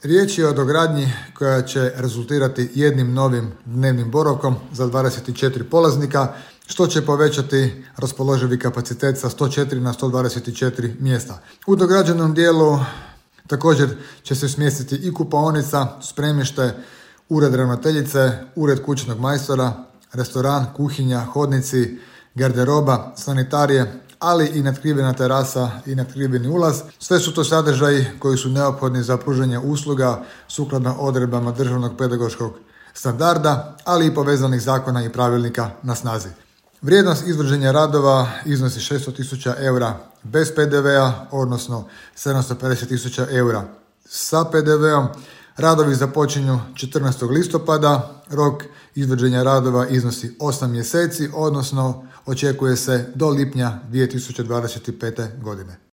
Riječ je o dogradnji koja će rezultirati jednim novim dnevnim boravkom za 24 polaznika, što će povećati raspoloživi kapacitet sa 104 na 124 mjesta. U dograđenom dijelu također će se smjestiti i kupaonica, spremište, ured ravnateljice, ured kućnog majstora, restoran, kuhinja, hodnici, garderoba, sanitarije, ali i natkrivena terasa i natkriveni ulaz. Sve su to sadržaji koji su neophodni za pružanje usluga sukladno odredbama državnog pedagoškog standarda, ali i povezanih zakona i pravilnika na snazi. Vrijednost izvođenja radova iznosi 600.000 eura bez PDV-a, odnosno 750.000 eura sa PDV-om. Radovi započinju 14. listopada, rok izvođenja radova iznosi 8 mjeseci, odnosno očekuje se do lipnja 2025. godine.